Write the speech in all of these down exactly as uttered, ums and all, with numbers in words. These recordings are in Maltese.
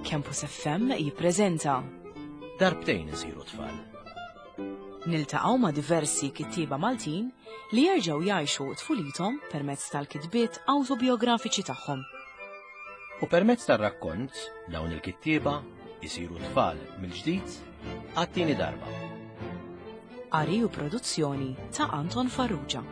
Campus F M jippreżenta Darbtejn isiru tfal. Niltaqgħu ma' diversi kittieba Maltin li jerġgħu jgħixu tfulithom permezz tal-kitbiet awtobiografiċi tagħhom. U permezz tar-rakkont dawn il-kittieba jisiru tfal mill-ġdid għat-tieni darba. Qari u produzzjoni ta' Anton Farrugia.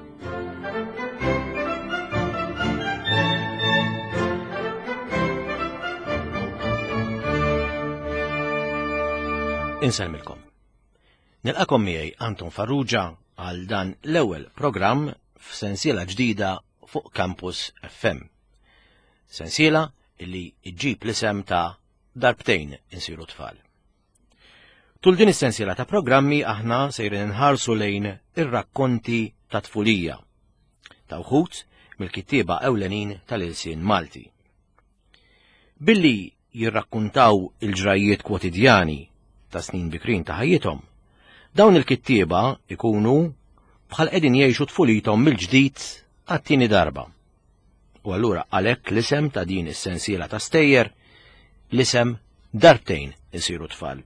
Insellmilkom. Nilqakom miegħi Anton Farrugia għal dan l-ewwel programm f'sensiela ġdida fuq Campus F M. Sensiela illi ġġib l-isem ta' Darbtejn insiru tfal. Tul din is-sensiela ta' programmi aħna sejrin inħarsu lejn ir-rakkonti ta' tfulija ta' wħud mill-kittieba ewlenin tal-ilsien Malti. Billi jirrakkuntaw il-ġrajiet kwotidjani ta' snin bikrin ta' ħajjithom, dawn il-kittieba ikunu bħal qegħdin jgħixu tfulithom mill-ġdid għat-tieni darba. U allura għalhekk l-isem ta' din is-sensiela ta' stejjer, l-isem Darbtejn insiru tfal.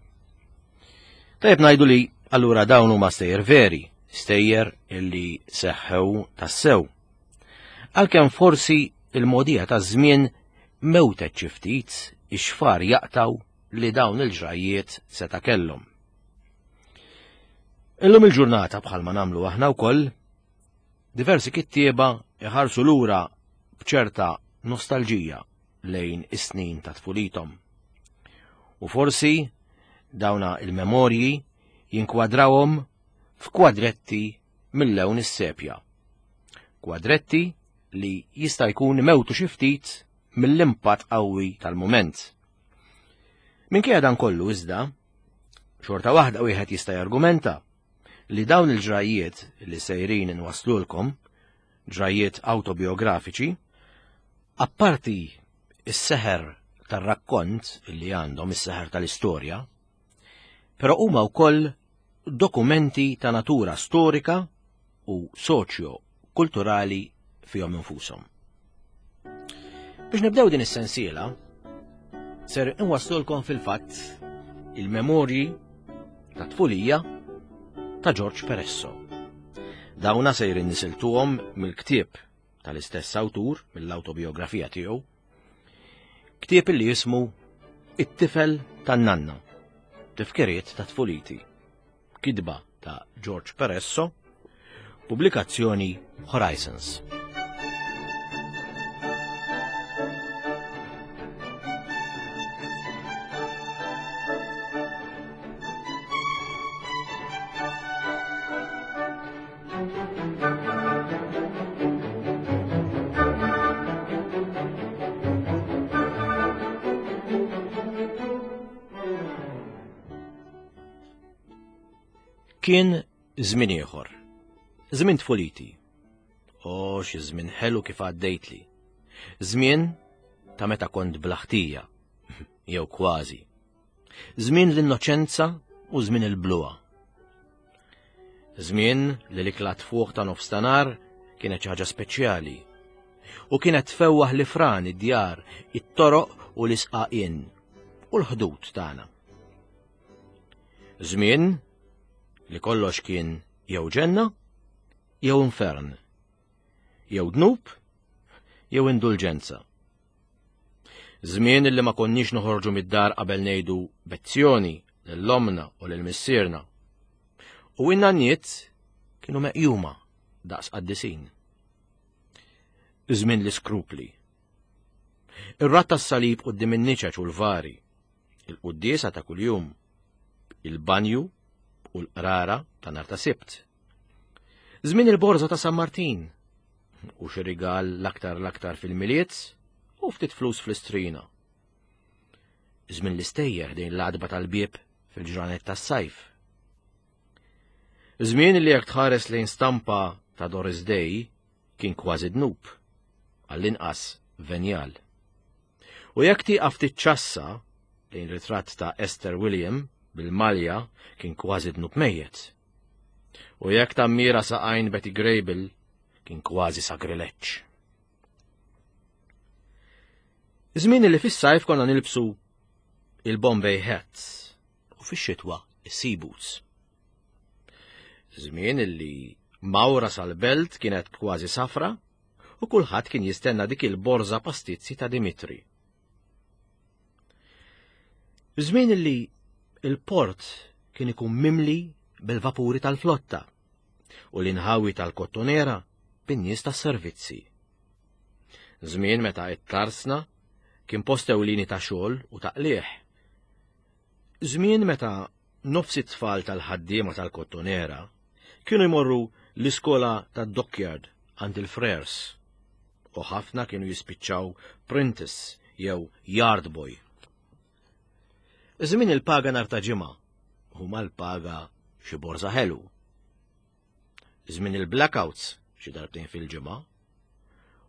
Tajjeb ngħidu li allura dawn huma stejjer veri, stejjer illi seħħew tassew. Għalkemm forsi il-mogħdija taż-żmien mewtet xi ftit ix-xfar jaqtaw li dawn il-ġrajiet seta' kellhom. Illum il-ġurnata bħalma nagħmlu aħna wkoll, diversi kittieba iħarsu lura b'ċerta nostalġija lejn is-snin ta' tfulithom. U forsi dawna il-memorji jinkwadrawhom f'kwadretti mill-lewn is-sepja. Kwadretti li jista' jkun mewtu xi ftit mill-impatt qawwi tal-mument. Minkejja dan kollu iżda, xorta waħda wieħed jista' jargumenta li dawn il-ġrajiet li sejrin inwaslulkom, ġrajiet awtobiografiċi, apparti is-seħer tar-rakkont li għandhom is-seħer tal-istorja, però huma wkoll dokumenti ta' natura storika u soċjo-kulturali fihom infushom. Biex nibdew din is-sensiela, ser inwaslulkom fil-fatt il-memorji ta' tfulija ta' George Peresso. Dawna sejrin nisiltuhom mill-ktieb tal-istess awtur, mill-awtobiografija tiegħu, ktieb li jismu It-tifel tan-nanna, tifkiriet ta' tfuliti, kitba ta' George Peresso, pubblikazzjoni Horizons. Kien żmien ieħor, żmien tfuliti. O, xi żmien ħelu kif għaddejtli. Żmien ta' meta kont blaħtija, jew kważi. Żmien l-innoċenza u żmien il-bluha. Żmien li l-ikla tfuħ ta' nofstanhar kienet xi ħaġa speċjali u kienet tfewwaħ li fran id-djar, it-toroq u l-isqaqien u l-ħdud tagħna. Żmien li kollox kien jew ġenna, jew infern, jew dnub, jew indulġenza. Żmien li ma konniex noħorġu mid-dar qabel ngħidu bezzjoni lill-omna u lil missierna. U in-nanniet kienu meqjuma daqs qaddisin. Żmien l-iskrupli. Ir-rat tas-salib quddiem in-niċeċ u l-vari, il-quddiesa ta' kuljum, il-banju u l-qrara ta' nhar ta' Sibt. Żmien il-borża ta' San Martin u xi rigal l-aktar l-aktar fil-Milied u ftit flus fl-istrina. Żmien l-istejjer dejn l-għadba tal-bieb fil-ġranet tas-sajf. Żmien li jekk tħares lejn stampa ta' Doris Day kien kważi dnub, għall-inqas venjal. U jekk tieqaf tiċċassa lejn ritratt ta' Esther William bil-malja kien kważi dnub mejjet. U jekk tammira saqajn Betty Grable kien kważi sagrileġġ. Żmien li fis-sajf konna nilbsu il-Bombay Hats u fix-xitwa is-Sea Boots. Żmien illi mawra sal-belt kienet kważi safra u kulħadd kien jistenna dik il-borża pastizzi ta' Dimitri. Żmien illi il-port kien ikun mimli bil-vapuri tal-flotta u l-inħawi tal-kottonera bin-nies tas-servizzi. Żmien meta it-tarsna kien post ewlieni ta' xogħol u ta' qligħ. Żmien meta nofs it-tfal tal-ħaddiema tal-kottonera kienu jmorru l-iskola tad-dockyard għand il-Frers u ħafna kienu jispiċċaw prentice jew yard boy. Żmien il-paga nhar ta' ġimgħa huma l-paga xi borża ħelu. Żmien il-blackouts xi darbtejn fil-ġimgħa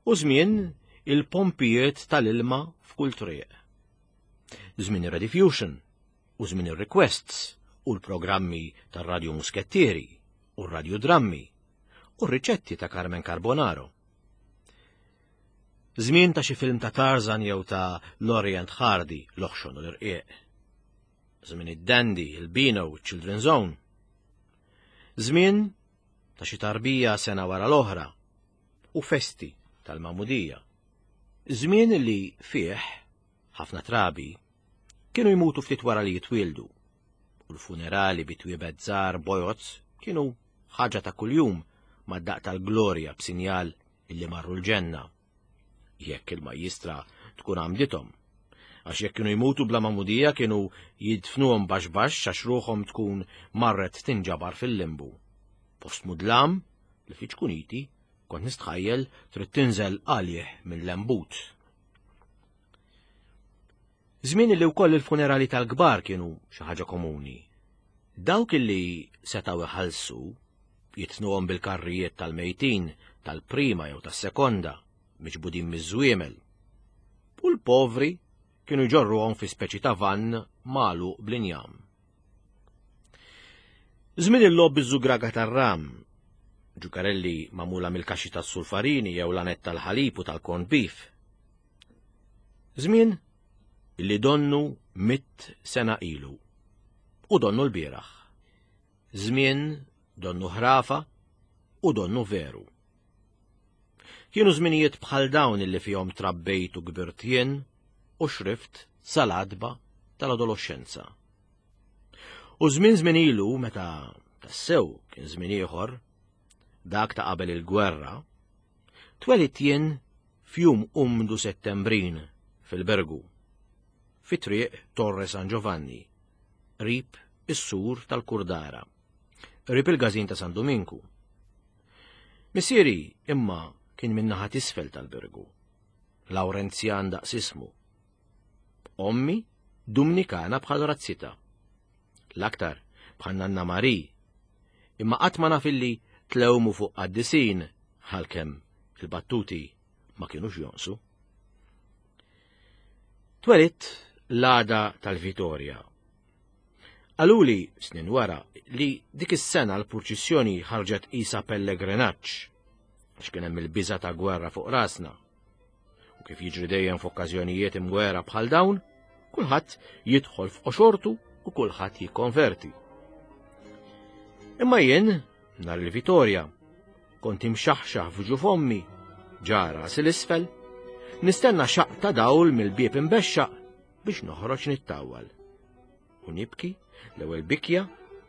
u żmien il-pompijiet tal-ilma f'kull triq. Żmien ir-Rediffusion u żmien ir-requests u l-programmi tar-Radio Muskettieri u r-radiodrammi u r-riċetti ta' Carmen Carbonaro. Żmien ta' xi film ta' Tarzan jew ta' Laurel and Hardy, l-oħxon u l-irqiq. Żmien id-Dandy, il-Beano, Children's Zone. Żmien ta' xi tarbija sena wara l-oħra u festi tal-Magħmudija. Żmien li fih ħafna trabi kienu jmutu ftit wara li jitwieldu u l-funerali bi twiebet żgħar bojod kienu ħaġa ta' kuljum mad-daqq tal-glorja b'sinjal illi marru l-ġenna. Jekk il-majjistra tkun għamdithom. Għax jekk kienu jmutu bla magħmudija kienu jidfnuhom baxx baxx għax ruħhom tkun marret tinġabar fil-limbu. Post mudlam li fi ċkuniti kont nistħajjel trid tinżel għalih minn lembut. Żmien li wkoll il-funerali tal-kbar kienu xi ħaġa komuni. Dawk illi setgħu iħallsu jidfnuhom bil-karrijiet tal-mejtin tal-prima jew tas-sekonda miġbudin miż-żwiemel. U l-povri kienu jġorruhom fi speċi ta' vann magħluq bl-injam. Żmien il-logħob biż-żugraga tar-ram, ġukarelli magħmula mill-kaxxi tas-sulfarini jew lanet tal-ħalib u tal-corned beef. Żmien illi donnu mitt sena ilu u donnu l-bieraħ. Żmien donnu ħrafa u donnu veru. Kienu żminijiet bħal dawn illi fihom trabbejt u kbirt jien u xrift sal-għatba tal-adolescenza. U żmien żmien ilu meta tassew kien żmien ieħor, dak ta' qabel il-gwerra, twelidt jien f'jum umdu Settembrin fil-Birgu, fi triq Torre San Giovanni, qrib is-sur tal-Kurdara, qrib il-Każin ta' San Dominku. Missieri imma kien min-naħa t'isfel tal-Birgu, Lawrenzjan daqs ismu. Ommi Dumnikana bħal razzita. L-aktar bħal Nanna Mari, imma qatt ma naf illi tlewmu fuq qaddisin għalkemm il-battuti ma kienux jonqsu. Twelidt l-għada tal-Vitorja. Qaluli snin wara li dik is-sena l-purċissjoni ħarġet qisha pellegrinaġġ għax kien hemm il-biża ta' gwerra fuq rasna. U kif jiġri dejjem f'okkażjonijiet imwera bħal dawn, kulħadd jidħol f'qoxortu u kulħadd jikkonverti. Imma jien, nhar il-Vitorja, kont imxaħxaħ f'ġuf ommi, ġa rasi 'l isfel, nistenna xaqq ta' dawl mill-bieb imbexxaq biex noħroġ nittawwal. U nibki l-ewwel bikja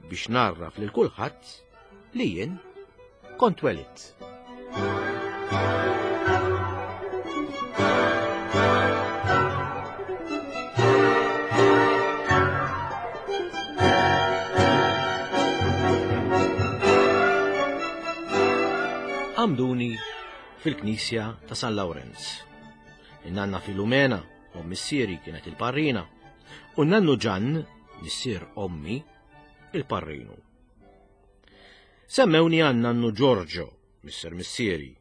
biex ngħarraf lil kulħadd li jien kont twelidt. Għamduni fil-knisja ta' San Lawrenz. In-nanna Filumena, u missieri kienet il-parrina, u nannu Ġann, missier ommi, il-parrinu. Semmewni għan nannu Giorgio, missier missieri,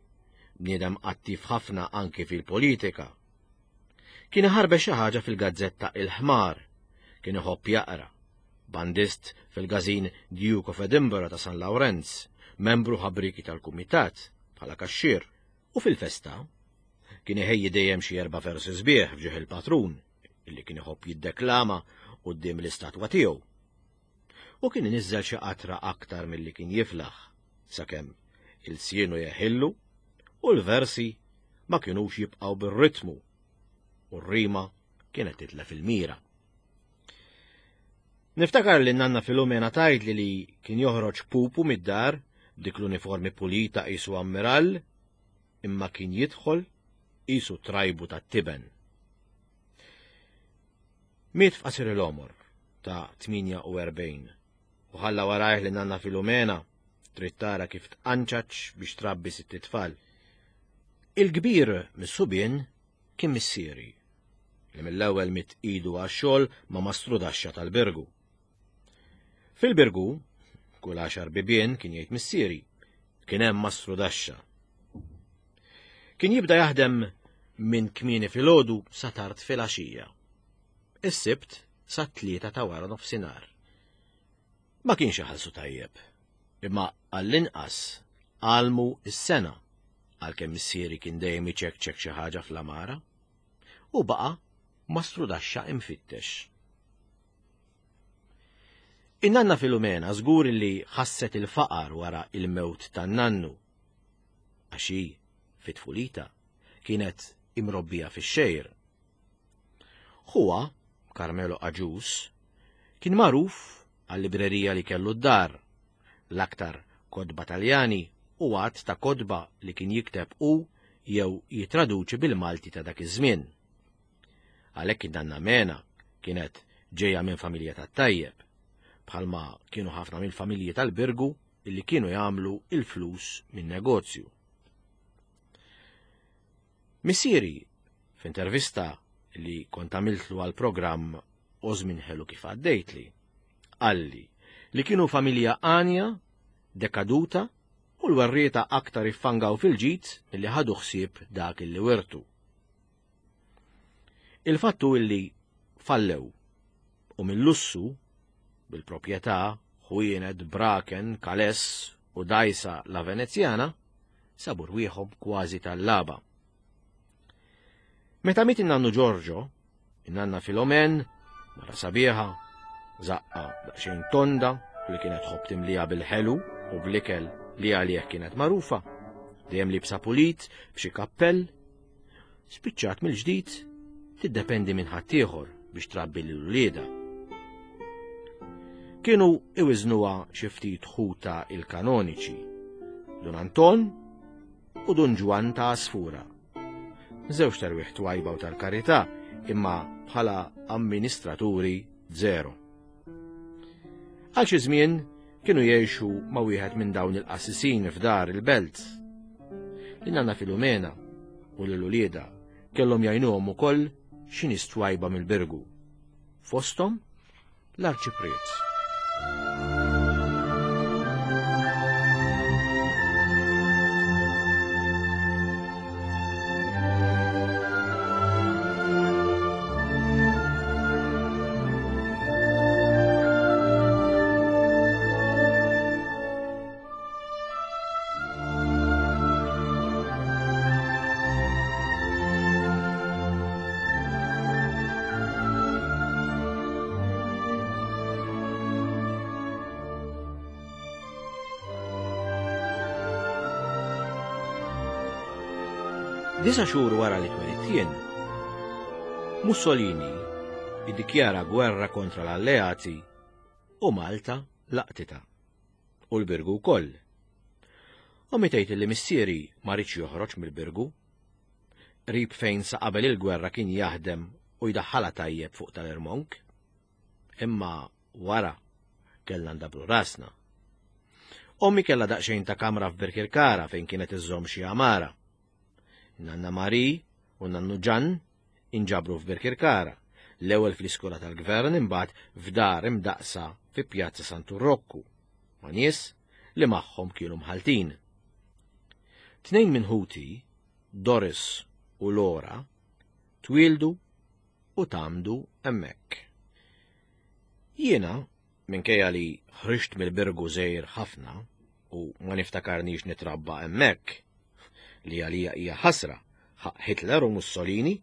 bniedem attiv ħafna anki fil-politika. Kien iħarbex xi ħaġa fil-gazzetta Il-Ħmar, kien iħobb jaqra, bandist fil-każin Duke of Edinburgh ta' San Lawrenz, membru ħabriki tal-kumitat bħala kaxxier, u fil-festa kien iħejji dejjem xi erba' versi sbieħ f'ġieħ il-patrun, illi kien iħobb jiddeklama quddiem l-istatwa tiegħu. U kien iniżżel xi qatra aktar milli kien jiflaħ, sakemm il-sienu jeħillu u l-versi ma kinux jibqgħu bir-ritmu u r-rima kienet titlef il-mira. Niftakar li nanna Filomena tgħidli li kien joħroġ pupu mid-dar dik l-uniformi pulita qisu ammirall, imma kien jidħol qisu trajbu tat-tiben. Miet f'qasir il-għomor ta' tmienja u erbgħin u ħalla warajh li nanna Filomena trid tara kif tqanċaċ biex trabbi sitt itfal. Il-kbir mis-subien kien missieri, li mill-ewwel mitt idu għax-xogħol ma' mastrudaxxa tal-Birgu. Fil-Birgu, kull għaxar bibien kien jgħid missieri, kien hemm mastrudaxxa. Kien jibda jaħdem minn kmieni filgħodu sa tard filgħaxija. Is-Sibt sa tlieta ta' wara nofsinhar. Ma kienx iħallsu tajjeb, imma għall-inqas għalmu s-sena għalkemm missieri kien dejjem iċekċek xi ħaġa fl-amara u baqa' mastrudaxxa imfittex. In-nanna Filomena żgur li ħasset il-faqar wara il-mewt tan-nannu, għax hi fit-tfulita kienet imrobbija fix-xejr. Huwa, Carmelo Agius, kien magħruf għal-librerija li kellu d-dar, l-aktar kotba Taljani u għadd ta' kotba li kien jikteb u jew jitraduċi bil-Malti ta' dak iż-żmien. Għalhekk id-nanna Mena kienet ġejja minn familja tat-tajjeb, bħalma kienu ħafna mill-familji tal-Birgu illi kienu jagħmlu il-flus minn negozju. Missieri, f'intervista li kont għamiltlu għal programm u żmien ħelu kif għaddejtli, qalli li kienu familja għanja, dekaduta u l-werrieta aktar iffangaw fil-ġid milli ħadu ħsieb dak illi wirtu. Il-fattu illi fallew u mill-lussu bil-proprjetà ħwienet, braken, kales u dajsa la Venezjana sabu rwieħhom kważi tal-laba. Meta miet in-nannu Giorgio, in-nanna Filomen, mara sabiħa, zaqqa daqsxejn tonda u li kienet tħobb timlija bil-ħelu u bl-ikel li għalih kienet magħrufa, dejjem libsa pulit b'xi kappell, spiċċat mill-ġdid tiddependi minn ħaddieħor biex trabbi lil uliedha. Kienu iwiżnuha xi ftit ħuta il-kanoniċi, Dun Anton u Dun Ġwann ta' Asfura. Żewġ terwieħ twajba u tal-karità, imma bħala amministraturi zero. Għal xi żmien kienu jgħixu ma' wieħed minn dawn il-qassisin f'dar il-belt. Lin-nanna Filomena u lil uliedha kellhom jgħinuhom ukoll xi nies twajba mill-Birgu. Fosthom l-Arċipriet. Disa xhur wara li twelidt jien, Mussolini iddikjara gwerra kontra l-alleati u Malta laqtitha, u l-Birgu wkoll. U mitejt li missieri ma riedx joħroġ mill-Birgu, qrib fejn sa qabel il-gwerra kien jaħdem u jdaħħalha tajjeb fuq tal-Irmonk. Imma wara kellna ndabru rasna. Ommi kellha daqsxejn ta' kamra f'Birkirkara fejn kienet iżżomm xi għamara. Nanna Mari u Nannu Ġan inġabru f'Birkirkara, l-ewwel fl-iskola tal-gvern imbagħad f'dar imdaqsa fi Pjazza Santu Rokku, ma' nies li magħhom kienu mħaltin. Tnejn minn ħuti, Doris u Lora, twieldu u tgħammdu hemmhekk. Jiena, minkejja li ħriġt mill-Birgu żgħir ħafna u ma niftakarnix nitrabba hemmhekk, li għalija hija ħasra ħaq Hitler u Mussolini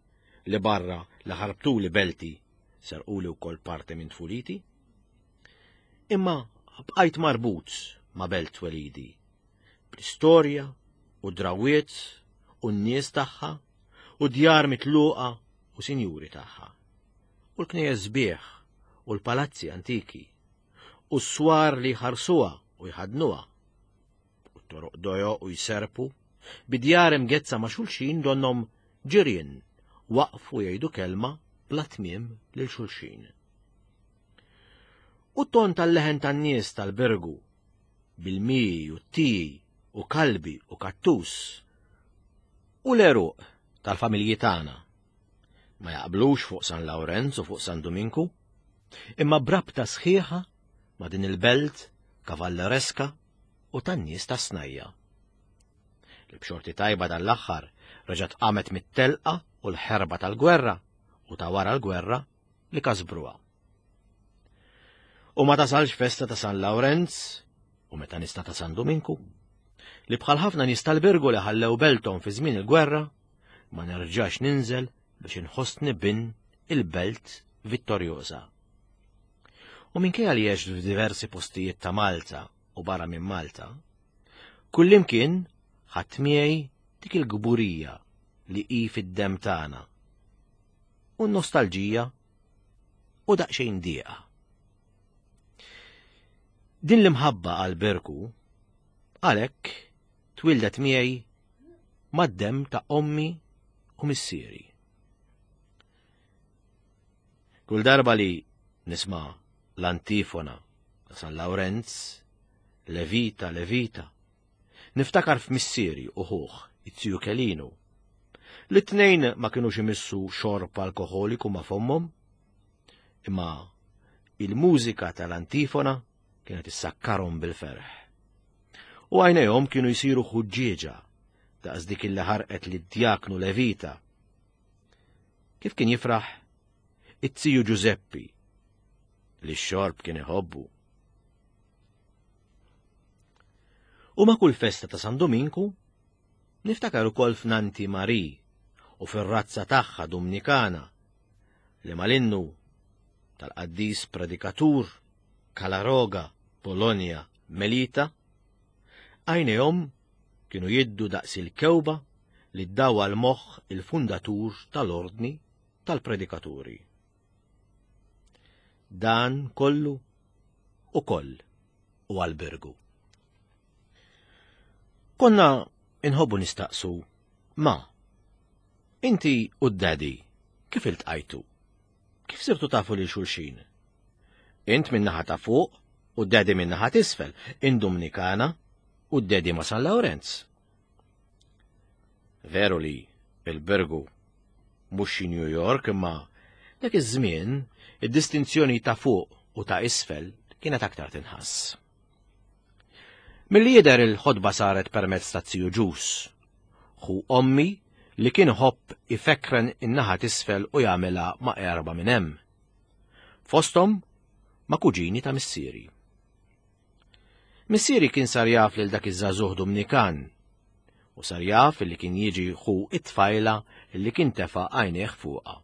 li barra li ħarbtuli belti serquli wkoll parti minn tfuliti. Imma bqajt marbut ma' belt twelidi, bl-istorja u drawiet u n-nies tagħha u djar mitluqa u sinjuri tagħha, u l-knejjes sbieħ u l-palazzi antiki, u s-swar li jħarsuha u jħadnuha, u t-toroq dojoq u jserpu, bidjar imgezza ma' xulxin donhom ġirien waqfu jgħidu kelma bla tmiem lil xulxin. U t-ton tal-leħen tan-nies tal-Birgu, bil-mi u t-tiji u kalbi u kattus, u l-eruq tal-familji tagħna ma jaqblux fuq San Lawrenz u fuq San Duminku, imma brabta sħiħa ma' din il-belt kavallereska u tan-nies tas-snajja. Li b'xorti tajba dan l-aħħar reġgħet qamet mit-telqa u l-ħerba tal-gwerra u ta' wara l-gwerra li kasbruha. U ma tasalx festa ta' San Lawrenz u meta nista ta' San Duminku, li bħal ħafna nies tal-Birgu li ħallew belthom fi żmien il-gwerra, ma nerġax ninżel biex inħossni bin il-belt vittorjosa. U minkejja li għext f'diversi postijiet ta' Malta u barra minn Malta, kullimkien ħadd miegħi dik il-gburija li hi fid-demm tagħna, u n-nostalġija u daqsxejn dieqa. Din l-imħabba għal Birgu għalhekk twildet miegħi mad-demm ta' ommi u missieri. Kull darba li nisma' l-antifona ta' San Lawrenz, Levita, Levita, niftakar f'missieri u ħuh, it-tiju Kelinu, li t-tnejn ma kinux imissu xorb alkoholiku ma' fommhom, imma il-mużika tal-antifona kienet issakkarhom bil-ferħ. U għajnejhom kienu jsiru ħuġġieġa daqs dik illi ħarqet lid-djaknu Levita. Kif kien jifraħ it-tiju Giuseppi li x-xorb kien iħobbu. U ma' kull festa ta' San Dominku niftakar ukoll f'Nanti Marie u fir-razza tagħha Dominikana li mal-innu tal-qaddis predikatur Kalaroga, Bologna, Melita, għajnejhom kienu jiddu daqs il-kewba li ddawa l-moħħ il-fundatur tal-ordni tal-predikaturi. Dan kollu u koll u għal-Birgu. Konna inħobbu nistaqsu, ma, inti u d-daddy, kif iltqajtu? Kif sirtu tafu lil xulxin? Int minn naħa ta' fuq u d-daddy minn naħa t'isfel, in Dominikana u d-daddy ma' San Lawrenz. Veru li il-Birgu mhux xi New York, imma dak iż-żmien id-distinzjoni ta' fuq u ta' isfel kienet aktar tinħass. Milli jidher il-ħodba saret permezz ta' tiju Ġus, ħu ommi li kien ħobb ifekren in-naħa t'isfel u jagħmilha ma' erba' minn hemm. Fosthom ma' kuġini ta' missieri. Missieri kien sar jaf lil dak iż-żagħżugħ Dominikan u sar jaf li kien jiġi ħu it-tfajla li kien tefa' għajnejh fuqha.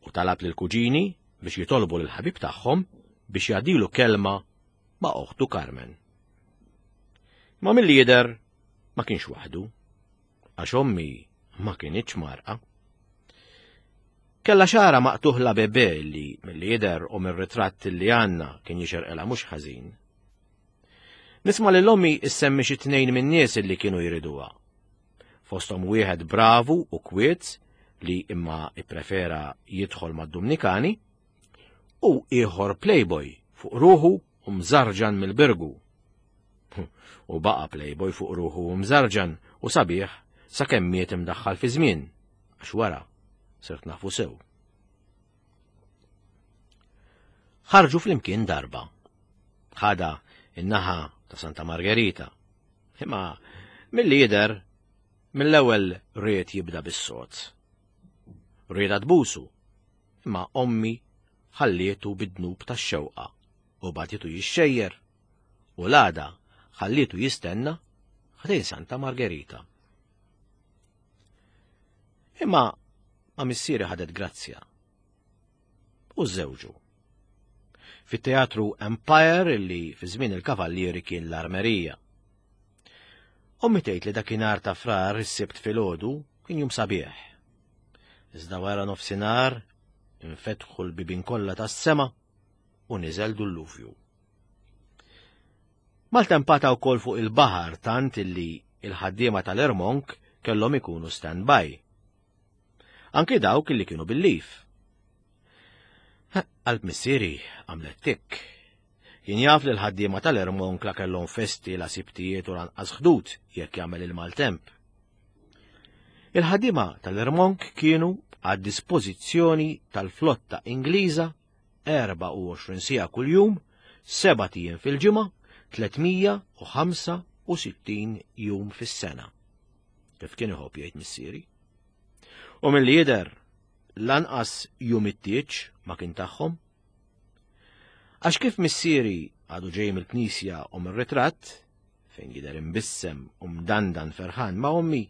U talab lil kuġini biex jitolbu lil ħabib tagħhom biex jgħaddilu kelma ma' oħtu Carmen. Ma milli jidher ma kienx waħdu, għax ommi ma kinitx marqa. Kella xara maqtuħ la bebe li milli jidher u mir-ritratt li għandna kien jixerqilha mhux ħażin. Nisma' lil ommi issemmi xi tnejn min-nies li kienu jriduha. Fosthom wieħed bravu u kwiet li imma ipprefera jidħol mad-Dominikani u ieħor playboy fuq ruħu u mżarġan mill-Birgu. U baqa playboy fuq ruħu u mżarġan u sabiħ sakemm miet imdaħħal fi żmien, għax wara sirt nafu sew. Ħarġu flimkien darba. Ħada in-naħa ta' Santa Margherita. Imma milli jidher mill-ewwel ried jibda bis-sod. Rieda tbusu, imma ommi ħallietu bid-dnub tax-xewqa u bagħtitu jixxejjer u l-għada ħallietu jistenna ħdejn Santa Margherita. Imma Ma' missieri ħadet grazzja. U żewġu. Fit-teatru Empire illi fi żmien il-Kavallieri kien l-Armerija. Ommi tgħid li dakinhar ta' Frar is-Sibt filgħodu kien jum sabiħ. Iżda wara nofsinhar infetħu l-bibien kollha tas-sema u niżel dulluvju. Maltempata wkoll fuq il-baħar tant illi il-ħaddiema tal-Ermonk kellhom ikunu stand-by. Anki dawk illi kienu bil-lif. Qalb missieri għamlet tikk. Kien jaf li l-ħaddiema tal-Ermonk la kellhom festi la sibtijiet u lanqas ħdud jekk jagħmel il-maltemp. Il-ħaddiema tal-Ermonk kienu għad dispożizzjoni tal-flotta Ingliża erbgħa u għoxrin siegħa kuljum, sebat ijiem fil-ġimgħa, tliet mija u ħamsa u sittin jum fis-sena. Kif kien iħobb jgħid missieri. U milli jidher lanqas jum it-tieġ ma kien tagħhom. Għax kif missieri għadu ġej mill-knisja u mir-ritratt, fejn jidher imbissem u mdandan ferħan ma' ommi,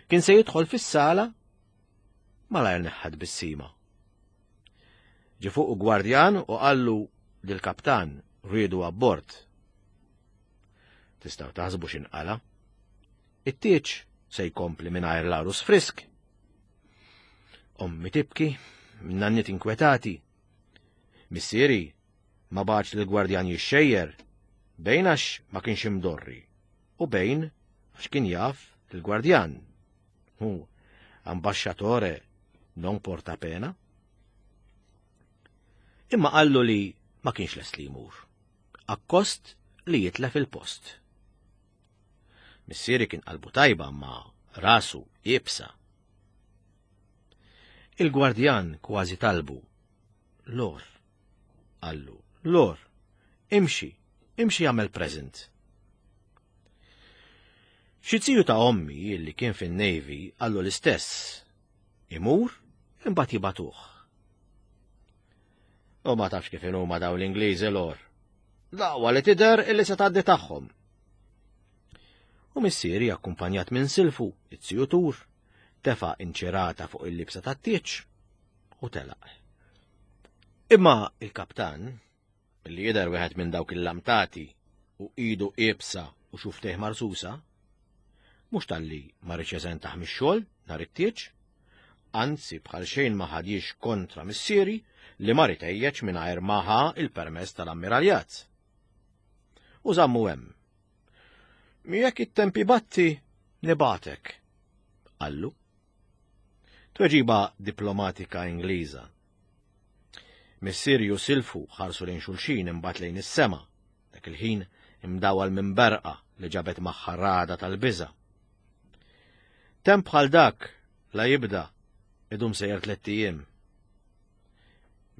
kien se jidħol fis-sala malajr neħħad bissima. Ġie fuq gwardjan u qallu lill-kaptan riedu abbord. Tistgħu taħsbu x'inqala. It-tieġ se jkompli mingħajr l-għarus frisk. Ommi tibki, nanniet inkwetati. Missieri ma bagħatx lill-gwardjan jixxejjer, bejn għax ma kienx imdorri u bejn għax kien jaf il-gwardjan. Hu ambasciatore non porta pena. Imma qallu li ma kienx lest li jmur, akkost li jitlef il-post. Missieri kien qalbu tajba ma rasu iebsa. Il-gwardjan kważi talbu. Lor, qallu, lor, imxi, imxi jagħmel present. Xi ziju ta' ommi li kien fin-Navy qallu l-istess. Imur, imbagħad jibagħtuh. U ma tafx kif huma dawn l-Ingliżi lor. Daqwa li tidher illi se tgħaddi tagħhom. U missieri akkumpanjat minn silfu, it-ziju Tur, tefa' inċirata fuq il-libsa tat-tieġ u telaq. Imma il-kaptan, li jidher wieħed minn dawk il-lamtati u idu iebsa u xuftejh marsusa, mhux talli ma riedx jeżentah mix-xogħol nhar it-tieġ, anzi bħal xejn ma ħadix kontra missieri li mar itejjeġ mingħajr ma ħa il-permess tal-ammiraljat. U żammu hemm. Jekk it-tempi batti, nibatek, qallu. Tweġiba diplomatika Ingliża. Missieri u silfu ħarsu lejn xulxin imbagħad lejn is-sema, dak il-ħin imdawal minn berqa li ġabet magħha ragħda tal-biża'. Temp bħal dak la jibda idum sejjer tlett ijiem.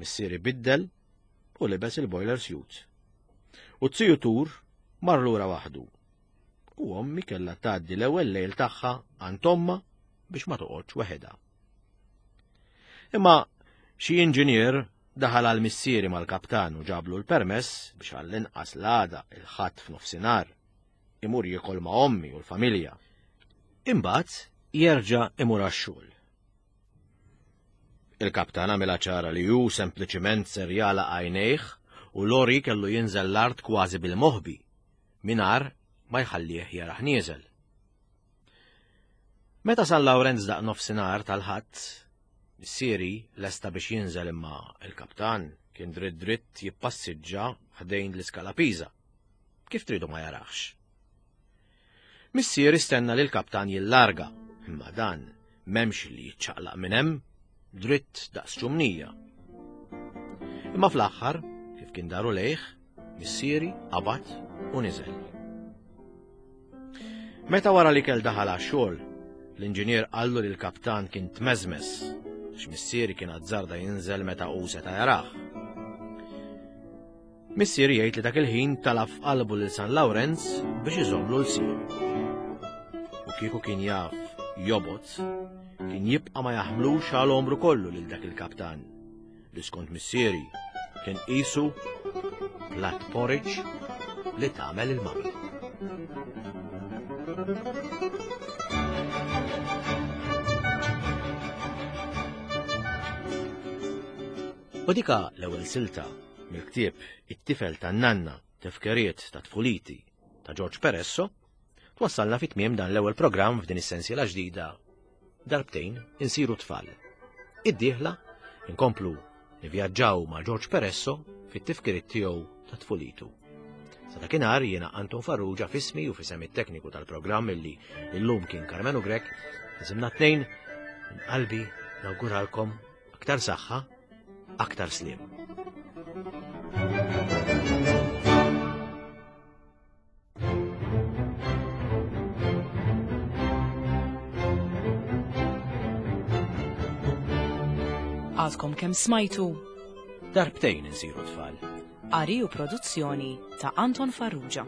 Missieri biddel u libes il-boiler suit. U t-ziju Tur mar lura waħdu. U ommi kellha tgħaddi l-ewwel lejl tagħha għand omma biex ma toqgħodx weħedha. Imma xi inġinier daħal għal missieri mal-kaptan u ġablu l-permess biex għall-inqas l-għada il-Ħadd f'nofsinhar imur jiekol ma' ommi u l-familja. Imbagħad jerġa' imur għax-xogħol. Il-kaptan għamilha ċara li hu sempliċiment ser jagħlaq għajnejh u Lori kellu jinżel l-art kważi bil-moħbi, mingħajr ma jħallih jarah nieżel. Meta San Lawrenz daq nofsinhar tal-Ħadd, missieri lesta biex jinżel imma il-kaptan kien dritt dritt jippassiġġa ħdejn l-iskala Pisa. Kif tridu ma jarax? Missieri stenna li l-kaptan jillarga, imma dan m'hemmx li jiċċaqlaq minn hemm, dritt daqs ċumnija. Imma fl-aħħar, kif kien daru lejh, missieri qabad u niżel. Meta wara li kell daħal għax-xogħol, l-inġinier qallu li l-kaptan kien tmeżmes, għax missieri kien azzarda jinżel meta hu seta' jarah. Missieri jgħid li dak il-ħin talab f'qalbu lil San Lawrenz biex iżomlu l-sien. U kieku kien jaf jobgħod, kien jibqa' ma jaħmlux għal għomru kollu lil dak il-kaptan, li skont missieri kien qisu plat porridge li tagħmel il-mami. U dika l-ewwel silta mill-ktieb It-tifel tan-nanna tifkiriet ta' tfuliti ta' George Peresso twassalna fit tmiem dan l-ewwel programm f'din is-sensiela ġdida darbtejn insiru tfal. Id-dieħla inkomplu nivvjaġġaw ma' George Peresso fit-tifkiriet tiegħu ta' tfulitu. Sa dakinhar jiena Anton Farrugia f'ismi u f'isem it-tekniku tal-programm illi illum kien Karmenu Grech, isimna tnejn minn qalbi nawguralkom aktar saħħa, aktar sliem. Għadkom kemm smajtu Darbtejn insiru tfal. Qari u produzzjoni ta' Anton Farrugia.